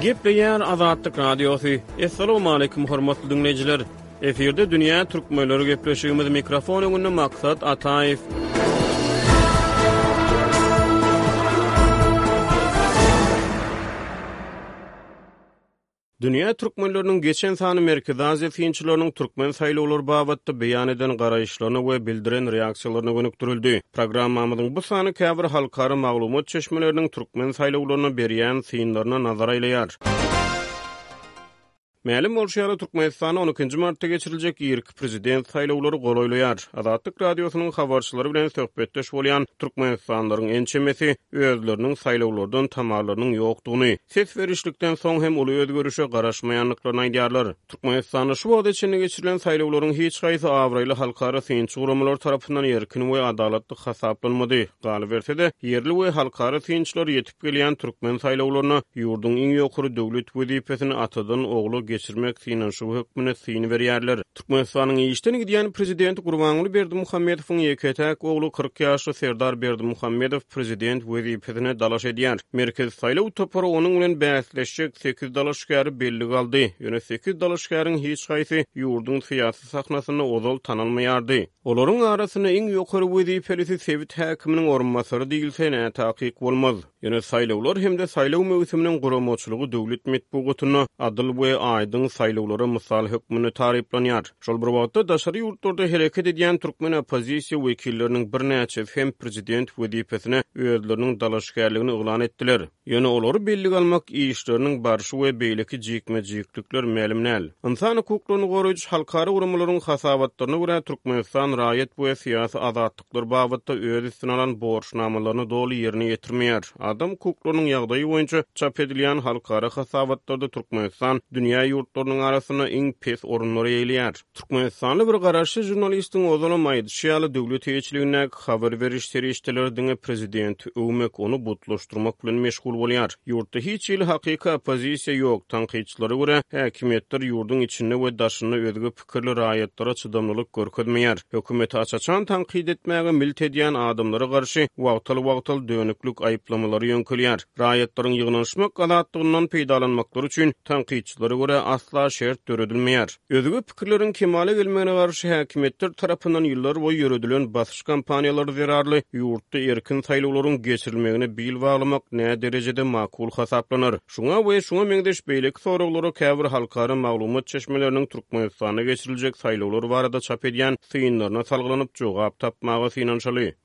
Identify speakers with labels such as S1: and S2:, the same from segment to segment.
S1: Gepleýär Azatlyk Radiosy. Assalamualaikum hormatly diňleýjiler. Efirde dünýä türkmenleri gepleşigimiz mikrofon öňünde Maksat Ataýew. Dünýä türkmenleriniň geçen sany Merkezi Aziýa synçylarynyň türkmen saýlawlary babatda beýan eden garaýyşlaryna we bildiren reaksiýalaryna gönükdirildi. Programmamyzyň bu sany käbir halkara maglumat çeşmeleriniň türkmen saýlawlaryna berýän synlaryna nazar aýlaýar. Mälim bolşy ýaly, Türkmenistanda on ikinji martda geçiriljek irki prezident saýlawlary golaýlaýar. Azatlyk Radiosynyň habarçylary bilen söhbetdeş bolýan türkmenistanlylaryň ençemesi özleriniň saýlawlardan tamalarynyň ýokdugyny, ses berişlikden soň hem uly özgerişe garaşmaýandyklaryny aýdýarlar. Türkmenistanda şu wagta çenli geçirilen saýlawlaryň hiç haýsy abraýly halkara synçy guramalar tarapyndan erkin we adalatly hasaplanmady. Galyberse-de, ýerli we halkara synçylar ýetip gelýän türkmen saýlawlaryna ýurduň iň ýokary döwlet wezipesini atadan ogla geçirmek synanyşygy hökmünde syn berýärler. Türkmenistanyň işden gidýän prezidenti Gurbanguly Berdimuhamedowyň ýeke-täk ogly 40 ýaşly Serdar Berdimuhamedow prezident wezipesine dalaş edýär. Merkezi saýlaw topary onuň bilen bäsleşjek sekiz dalaşgäri bellige aldy. Ýöne sekiz dalaşgäriň hiç haýsy ýurduň syýasy sahnasynda ozal tanalmaýardy. Olaryň arasynda iň ýokary wezipelisi sebit häkiminiň orunbasary diýilse, nätakyk bolmaz. Ýöne saýlawlar hem-de saýlaw möwsüminiň guramaçylygy döwlet metbugatynda adyl we aýdyň saýlawlara mysal hökmünde taryplanýar. Şol bir wagtda, daşary ýurtlarda hereket edýän türkmen oppozisiýa wekilleriniň birnäçesi hem prezident wezipesine özleriniň dalaşgärligini yglan etdiler. Ýöne olary bellige almak işleriniň barşy we beýleki jikme-jiklikler mälim däl. Ynsan hukuklaryny goraýjy halkara guramalaryň hasabatlaryna görä, Türkmenistan raýat we syýasy azatlyklar babatda öz üstüne alan borçnamalaryny doly ýerine ýetirmeýär. Adam hukuklarynyň ýagdaýy boýunça çap edilýän halkara hasabatlarda Türkmenistan dünýä ýurtlarynyň arasynda iň pes orunlary eýeleýär. Türkmenistanly bir garaşsyz žurnalistiň ozalam aýdyşy ýaly, döwlet eýeçiligindäki habar beriş serişdeleri diňe prezidenti öwmek, ony butlaşdyrmak bilen meşgul bolýar. Ýurtda hiç hili hakyky oppozisiýa ýok, tankytçylara görä, häkimiýetler ýurduň içinde we daşynda özge pikirli raýatlara çydamlylyk görkezmeýär. Hökümeti aç-açan tankyt etmäge milt edýän adamlara garşy wagtal-wagtal dönüklik aýyplamalary ýöňkelýär. Raýatlaryň ýygnanyşmak azatlygyndan peýdalanmaklary üçin, tankytçylara görä, asla şert döredilmeýär. Özge pikirleriň kemala gelmegine garşy häkimiýetler tarapyndan ýyllarboýy ýöredilen basyş kampaniýalary zerarly ýurtda erkin saýlawlaryň geçirilmegine bil baglamak näderejede makul hasaplanar? Şuňa we şuňa meňzeş beýleki soraglara käbir halkara maglumat çeşmeleriniň Türkmenistanda geçiriljek saýlawlar barada çap edýän synlaryna salgylanyp jogap tapmaga synanyşaly.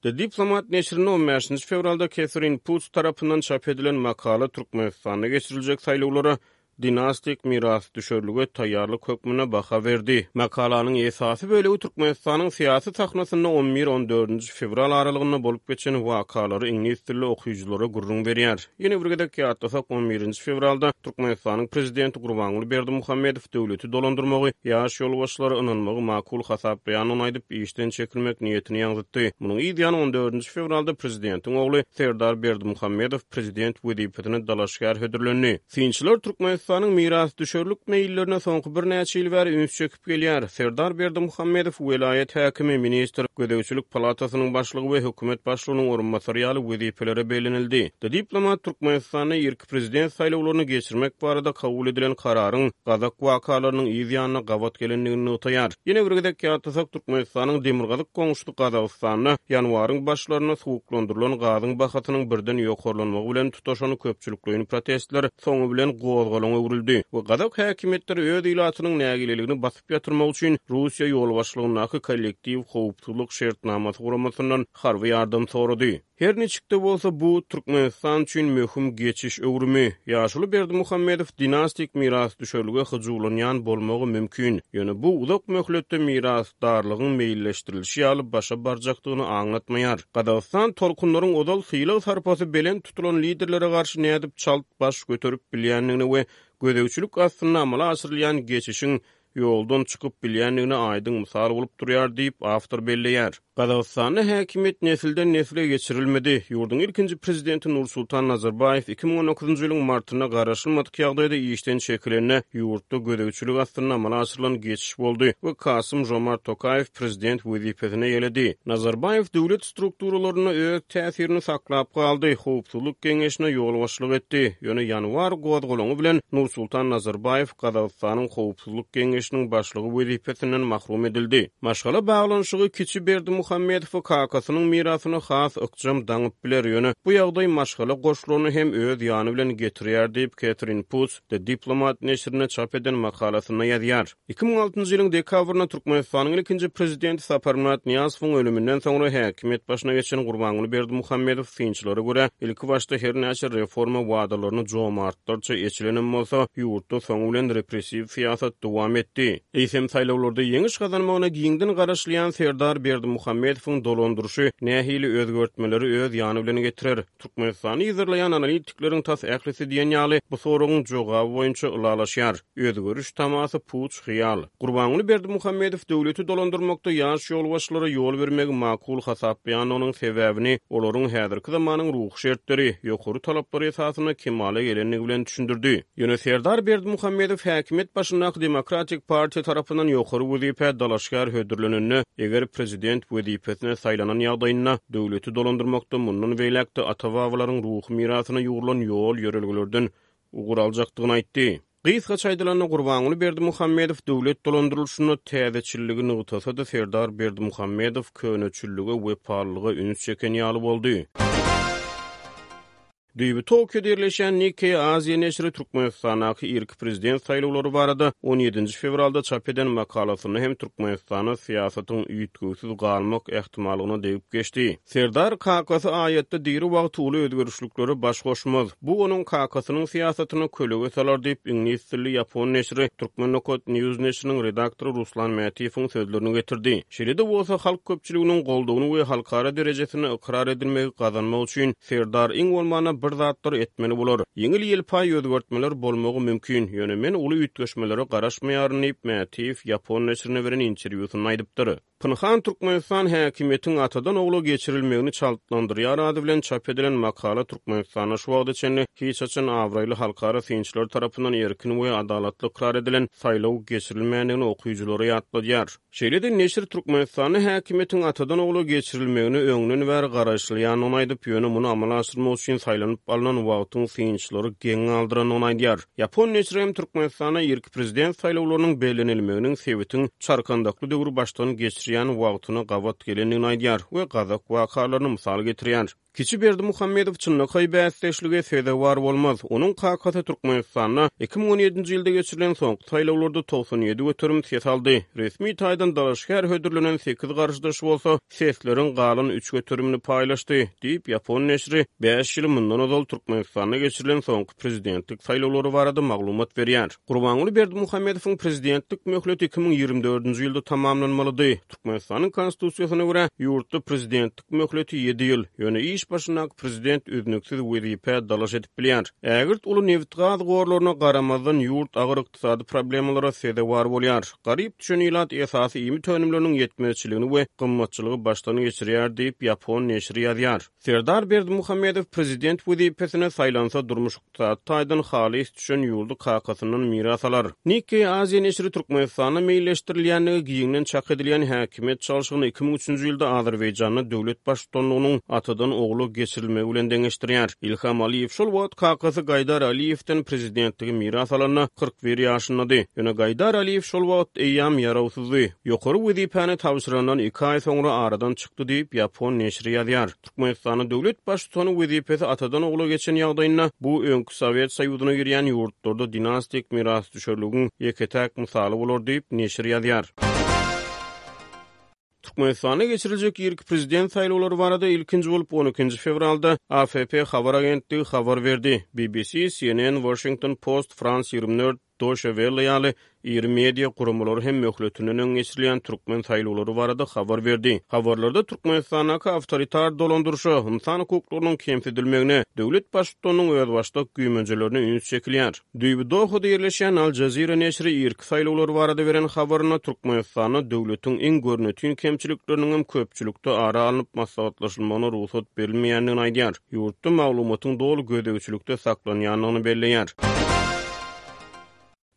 S1: The Diplomat neşirinde on bäşinji fewralda Ketherin Putz tarapyndan çap edilen makala Türkmenistanda geçiriljek saýlawlara dinastik mirasdüşerlige taýýarlyk hökmünde baha berdi. Makalanyň esasy bölegi Türkmenistanyň syýasy sahnasynda on bir-on dördünji fewral aralygynda bolup geçen wakalary iňlis dilli okyjylara gürrüň berýär. Ýene bir gezek ýatlasak, on birinji fewralda Türkmenistanyň prezidenti Gurbanguly Berdimuhamedow döwleti dolandyrmagy ýaş ýolbaşçylara ynanmagy makul hasaplaýandygyny aýdyp, işden çekilmek niýetini ýaňzytdy. Munuň yz ýany on dördünji fewralda prezidentiň ogly Serdar Berdimuhamedow prezident wezipesine dalaşgär hödürlendi. Synçylar Türkmenistanyň mirasdüşerlik meýillerine soňky birnäçe ýyl bäri üns çekip gelýär. Serdar Berdimuhamedow welaýat häkimi, ministr, gözegçilik palatasynyň başlygy we hökümet başlygynyň orunbasary ýaly wezipelere bellenildi. The Diplomat Türkmenistanda irki prezident saýlawlaryny geçirmek barada kabul edilen kararyň gazak wakalarynyň yz ýanyna gabat gelendigini nygtaýar. Ýene bir gezek ýatlasak, Türkmenistanyň demirgazyk goňşusy Gazagystanda ýanwaryň başlarynda suwuklandyrylan gazyň bahasynyň birden ýokarlanmagy bilen tutaşan köpçülikleýin protestler soňy bilen gozgalaňa öwrüldi we gazak häkimiýetleri öz ilatynyň nägileligini basyp ýatyrmak üçin Russiýa ýolbaşçylygyndaky Kollektiw howpsuzlyk şertnamasy guramasyndan harby ýardam sorady. Her niçik-de bolsa, bu Türkmenistan üçin möhüm geçiş öwrümi. Ýaşuly Berdimuhamedow dinastik mirasdüşerlige hyjuwlanýan bolmagy mümkin, ýöne bu uzak möhletde mirasdarlygyň meýilleşdirilişi ýaly başa barjakdygyny aňlatmaýar. Gazagystan tolkunlaryň ozal sylag-sarpasy belent tutulan liderlere garşy nädip çalt baş göterip bilýändigine we gözegçilik astynda amala aşyrylýan geçişiň ýoldan çykyp bilýändigine aýdyň mysal bolup durýar diýip, awtor belleýär. Gazagystanda häkimiýet nesilden-nesle geçirilmedi. Ýurduň ilkinji prezidenti Nursultan Nazarbaýew 2019-njy ýylyň martynda garaşylmadyk ýagdaýda işden çekilende, ýurtda gözegçilik astynda amala aşyrylan geçiş boldy we Kasym-Žomart Tokaýew prezident wezipesini eýeledi. Nazarbaýew döwlet strukturalarynda öz täsirini saklap galdy, Howpsuzlyk geňeşine ýolbaşçylyk etdi. Ýöne ýanwar gozgalaňy bilen Nursultan Nazarbaýew Gazagystanyň Howpsuzlyk geňeşiniň başlygy wezipesinden mahrum edildi. Maşgala baglanyşygy kiçi Berdimuhamedowy kakasynyň mirasyna has ykjam daňyp biler, ýöne bu ýagdaý maşgala goşlaryny hem öz ýany bilen getirýär diýip, Ketrin Putz The Diplomat neşirinde çap eden makalasynda ýazýar. 2006-njy ýylyň dekabrynda Türkmenistanyň ilkinji Prezidenti Saparmyrat Nyýazowyň ölüminden soňra häkimiýet başyna geçen Gurbanguly Berdimuhamedow synçylara görä, ilkibaşda her näçe reforma wadalaryny jomartlarça eçilenem bolsa, ýurtda soňy bilen repressiw syýasat dowam etdi. Eýsem, saýlawlarda ýeňiş gazanmagyna giňden garaşylýan Serdar Berdimuhamedowyň dolandyryşy nähili özgertmeleri öz ýany bilen getirer? Türkmenistany yzarlaýan analitikleriň tas ählisi diýen ýaly bu soragyň jogaby boýunça ylalaşýar, özgeriş tamasy puç hyýal. Gurbanguly Berdimuhamedow döwleti dolandyrmakda ýaş ýolbaşçylara ýol bermegi makul hasaplaýandygynyň sebäbini olaryň häzirki zamanyň ruhy şertleri, ýokary talaplary esasynda kemala gelendigi bilen düşündirdi. Ýöne Serdar Berdimuhamedow häkimiýet başyndaky Demokratik partiýa tarapyndan ýokary wezipä dalaşgär hödürlenende, eger prezident wezipesine saýlanan ýagdaýynda, döwleti dolandyrmakda mundan beýläk-de ata-babalaryň ruhy mirasyna ýugrulan ýol-ýörelgelerden ugur aljakdygyny aýtdy. Gysgaça aýdylanda, Gurbanguly Berdimuhamedow döwlet dolandyrylyşynda täzeçilligi nygtasa-da, Serdar Berdimuhamedow köneçillige wepalylyga üns çeken ýaly boldy. Düýbi Tokioda ýerleşýän Nikkei Aziýa neşiri Türkmenistandaky irki prezident saýlawlary barada on ýedinji fewralda çap eden makalasynda hem Türkmenistanda syýasatyň üýtgewsiz galmak ähtimallygyna degip geçdi. Serdar kakasy aýatda diri wagty uly özgerişliklere baş goşmaz. Bu onuň kakasynyň syýasatyna kölege salar diýip, iňlis dilli ýapon neşiri Turkmen. News neşiriniň redaktory Ruslan Mätiýewiň sözlerini getirdi. Şeýle-de bolsa, halk köpçüliginiň goldawyny we halkara derejesinde ykrar edilmegi gazanmak üçin Serdar iň bolmanda bir zatlar etmeli bolar. Ýeňil-ýelpaý özgertmeler bolmagy mümkin, ýöne men uly üýtgeşmelere garaşmaýaryn diýip, Mätiýew ýapon neşirine beren interwýusynda aýdypdyr. Pynhan Türkmenistan häkimiýetiň atadan ogla geçirilmegini çaltlandyrýar ady bilen çap edilen makala Türkmenistanda şu wagta çenli hiç haçan abraýly halkara synçylar tarapyndan erkin we adalatly ykrar edilen saýlaw geçirilmändigini okyjylara ýatladýar. Şeýle-de neşir Türkmenistanda häkimiýetiň atadan-ogla geçirilmegine öňden bäri garaşylýandygyny aýdyp, ýöne muny amala aşyrmak üçin saýlanyp alnan wagtyň synçylary geň galdyrandygyny aýdýar. Ýapon neşiri hem Türkmenistanda irki prezident saýlawlarynyň bellenilmeginiň sebitiň çarkandakly döwri başdan geçirýän wagtyna gabat gelendigini aýdýar we gazak wakalaryny mysal getirýär. Kiçi Berdimuhamedow çynlakaý bäsdeşlige sezewar bolmaz. Onuň kakasy Türkmenistanda 2017-nji ýylda geçirilen soňky saýlawlarda 97% ses aldy. Resmi taýdan dalaşgär hödürlenen sekiz garşydaşy bolsa sesleriň galan üç göterimini paýlaşdy, diýip, ýapon neşiri bäş ýyl mundan ozal Türkmenistanda geçirilen soňky prezidentlik saýlawlary barada maglumat berýär. Gurbanguly Berdimuhamedowyň prezidentlik möhleti 2024-nji ýylda tamamlanmalydy. Türkmenistanyň Konstitusiýasyna görä, ýurtda prezidentlik möhleti ýedi ýyl, ýöne iş başyndaky prezident üznüksiz wezipä dalaş edip bilýär. Ägirt uly nebit-gaz gorlaryna garamazdan, ýurt agyr ykdysady problemalara sezewar bolýar. Garyp düşen ilat esasy iýmit önümleriniň ýetmezçiligini we gymmatçylygy başdan geçirýär diýip, ýapon neşiri ýazýar. Serdar Berdimuhamedow prezident wezipesine saýlansa, durmuş Ykdysady taýdan halys düşen ýurdy kakasyndan miras alar. Nikkei Aziýa neşiri Türkmenistanda meýilleşdirilýändigi giňden çak edilýän häkimiýet çalşygyny 2003-nji ýylda Azerbaýjanda döwlet baştutanlygynyň atadan ogla geçirilmegi bilen deňeşdirýär. Ilham Aliýew şol wagt kakasy Gaýdar Aliýewden prezidentligi miras alanda 41 ýaşyndady. Ýöne Gaýdar Aliýew şol wagt eýýäm ýarawsyzdy. Ýokary wezipäni tabşyrandan iki aý soňra aradan çykdy diýip, ýapon neşiri ýazýar. Türkmenistanda döwlet Baştutany wezipesi atadan ogla geçen ýagdaýynda, bu öňki Sowet Soýuzyna girýän ýurtlarda dinastik mirasdüşerligiň ýeke-täk mysaly bolar diýip, neşir ýazýar. Türkmenistanda geçiriljek irki prezident saýlawlary barada ilkinji bolup on ikinji fewralda AFP habar agentligi habar berdi. BBC, CNN, Washington Post, France 24, Deutsche Welle ýaly. Iri media guramalary hem möhletinden öň geçirilýän türkmen saýlawlary barada habar berdi. Habarlarda Türkmenistandaky awtoritar dolandyryşa, ynsan hukuklarynyň kemsidilmegine, döwlet baştutanynyň özbaşdak güýmenjelerine üns çekilýär. Düýbi Dohada ýerleşýän Al Jazeera neşiri irki saýlawlar barada beren habarynda Türkmenistanda döwletiň iň görnetin kemçilikleriniňem köpçülikde ara alnyp maslahatlaşylmagyna rugsat berilmeýändigini aýdýar. Ýurtda maglumatyň doly gözegçilikde saklanýandygyny belleýär.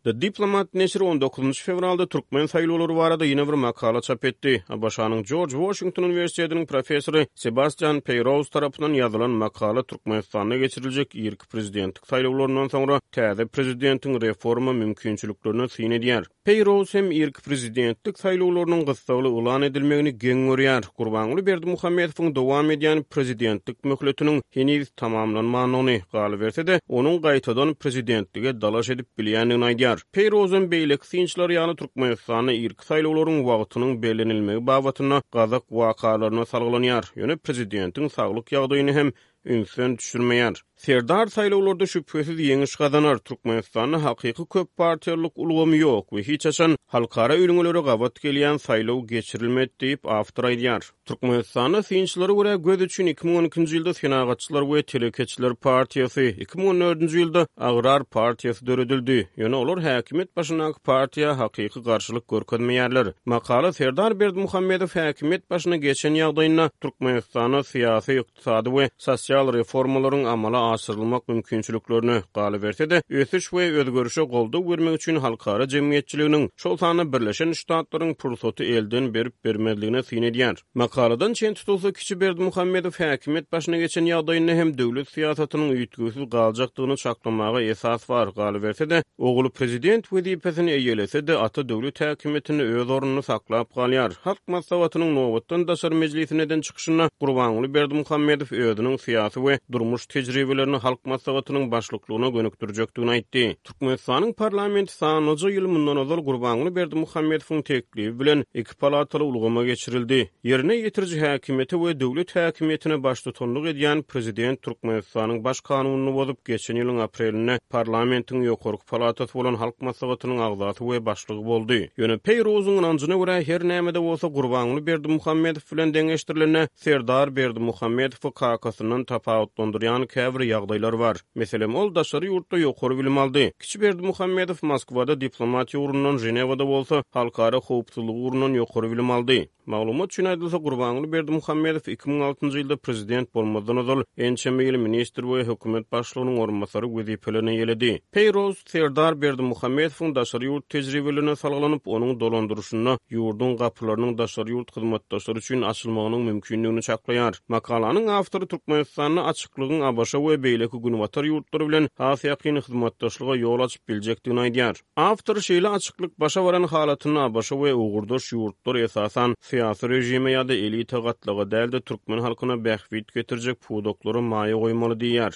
S1: The Diplomat neşiri on dokuzynjy fewralda türkmen saýlawlary barada ýene bir makala çap etdi. ABŞ-nyň Jorj Waşington uniwersitetiniň professory Sebastian Peýrouz tarapyndan ýazylan makala Türkmenistanda geçiriljek irki prezidentlik saýlawlaryndan soňra täze prezidentiň reforma mümkinçiliklerine syn edýär. Peýrouz hem irki prezidentlik saýlawlarynyň gyssagly yglan edilmegini geň görýär. Gurbanguly Berdimuhamedowyň dowam edýän prezidentlik möhletiniň heniz tamamlanmandygyny, galyberse-de, onuň gaýtadan prezidentlige dalaş edip bilýändigini aýdýar. Peýrozam beýleki synçylar ýaly Türkmenistanda irki saýlawlaryň wagtynyň bellenilmegi babatynda gazak wakalaryna salgylanýar, ýöne prezidentiň saglyk ýagdaýyny hem ünsden düşürmeýär. Serdar saýlawlarda şübhesiz ýeňiş gazanar. Türkmenistanda hakyky köp partiýalylyk ulgamy ýok we hiç haçan halkara ülňülere gabat gelýän saýlaw geçirilmedi diýip, awtor aýdýar. Türkmenistanda synçylara görä göz üçin 2012-nji ýylda Senagatçylar we telekeçiler partiýasy, 2014-nji ýylda Agrar partiýasy döredildi. Ýöne olar häkimiýet başyndaky partiýa hakyky garşylyk görkezmeýärler. Makala Serdar Berdimuhamedow häkimiýet başyna geçen ýagdaýynda Türkmenistanda syýasy, ykdysady we sosial reformalaryň amala aşyrylmak mümkinçiliklerine, galyberse-de, ösüş we özgerişe goldaw bermek üçin halkara jemgyýetçiliginiň, şol sanda Birleşen Ştatlaryň pursaty elden berip-bermezligine syn edýär. Makaladan çen tutulsa, kiçi Berdimuhamedow häkimiýet başyna geçen ýagdaýynda hem döwlet syýasatynyň üýtgewsiz galjakdygyny çaklamaga esas bar, galyberse-de, Ogly prezident wezipesini eýelese-de, ata döwlet häkimiýetinde öz ornuny saklap galýar. Halk Maslahatynyň nobatdan daşary mejlisinde eden çykyşynda Gurbanguly Berdimuhamedow özüniň syýasy we durmuş tejribelerini Halk Maslahatynyň başlyklygyna gönükdirjekdigini aýtdy. Türkmenistanyň parlamenti sanlyja ýyl mundan ozal Gurbanguly Berdimuhamedowyň teklibi bilen iki palataly ulgama geçirildi. Ýerine ýetiriji häkimiýete we döwlet häkimiýetine baştutanlyk edýän prezident Türkmenistanyň Baş kanunyny bozup, geçen ýylyň aprelinde parlamentiň ýokarky palatasy bolan Halk Maslahatynyň agzasy we başlygy boldy. Ýöne Peýruzyň ynanjyna görä, her näme-de bolsa Gurbanguly Berdimuhamedow bilen deňeşdirilende, Serdar Berdimuhamedowy kakasyndan tapawutlandyrýan käbir ýagdaýlar bar. Meselem, ol daşary ýurtda ýokary bilim aldy. Kiçi Berdimuhamedow Moskwada diplomatiýa ugrundan, Ženewada bolsa halkara howpsuzlygy ugrundan ýokary bilim aldy. Maglumat üçin aýdylsa, Gurbanguly Berdimuhamedow 2006-njy ýylda prezident bolmazdan ozal ençeme ýyl ministr we hökümet başlygynyň orunbasary wezipelerini eýeledi. Peýroz Serdar Berdimuhamedowyň daşary ýurt tejribelerine salgylanyp, onuň dolandyryşynda ýurduň gapylarynyň daşary ýurt hyzmatdaşlary üçin açylmagynyň mümkindigini çaklaýar. Makalanyň awtory Türkmenistanda açyklygyň ABŞ we beýleki günbatar ýurtlary bilen has ýakyn hyzmatdaşlyga ýol açyp biljekdigini aýdýar. Awtor şeýle açyklyk başa baran halatynda ABŞ we ugurdaş ýurtlar esasan syýasy režime ýa-da elita gatlaga däl-de türkmen halkyna bähbit getirjek pudaklara maýa goýmaly diýýär.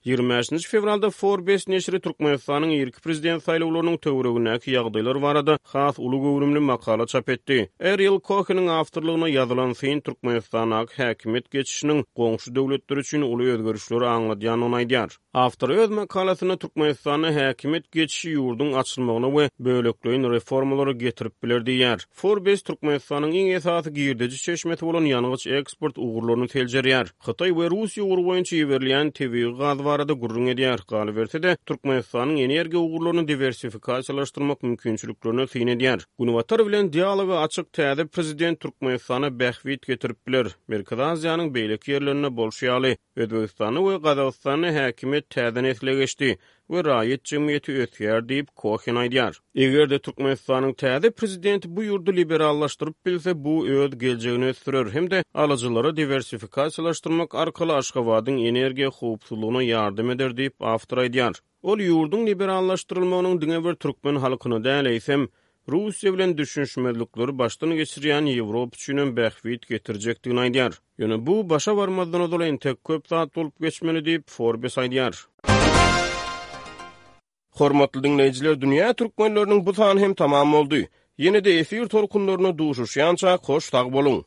S1: 25-nji fewralda Forbes neşiri Türkmenistanyň irki prezident saýlawlarynyň töweregindäki ýagdaýlar barada has uly göwrümli makala çap etdi. Ariel Koheniň awtorlygynda ýazylan syn Türkmenistandaky häkimiýet geçişiniň goňşy döwletler üçin uly özgerişleri aňladýandygyny aýdýar. Awtor öz makalasynda Türkmenistanda häkimiýet geçişi ýurduň açylmagyna we bölekleýin reformalara getirip biler diýýär. Forbes Türkmenistanyň iň esasy girdeji çeşmesi bolan ýangyç eksport ugurlaryny seljerýär. Hytaý we Russiýa ugry boýunça iberilýän tebigy gaz barada gürrüň edýär. Galyberse-de, Türkmenistanyň energiýa ugurlaryny diwersifikasiýalaşdyrmak mümkinçiliklerine syn edýär. Günbatar bilen dialoga açyk täze prezident Türkmenistana bähbit getirip biler. Merkezi Aziýanyň beýleki ýerlerinde bolşy ýaly, Özbegistanda we Gazagystanda häkimiýet täze nesle geçdi we raýat jemgyýeti ösýär diýip, Kohen aýdýar. Eger-de Türkmenistanyň täze prezidenti bu ýurdy liberallaşdyryp bilse, bu öz geljegini ösdürer hem-de alyjylary diwersifikasiýalaşdyrmak arkaly Aşgabadyň energiýa howpsuzlygyna ýardam eder diýip, awtor aýdýar. Ol ýurduň liberallaşdyrylmagynyň diňe bir türkmen halkyna däl, eýsem, Russiýa bilen düşünişmezlikleri başdan geçirýän Ýewropa üçinem bähbit getirjekdigini aýdýar. Ýöne bu başa barmazdan ozal entek köp zat bolup geçmeli diýip, Forbes aýdýar.
S2: Hormatly diňleýjiler Dünýä Türkmenleriniň bu sany hem tamam boldy. Ýene-de efir tolkunlarynda duşuşýançak hoş sag boluň!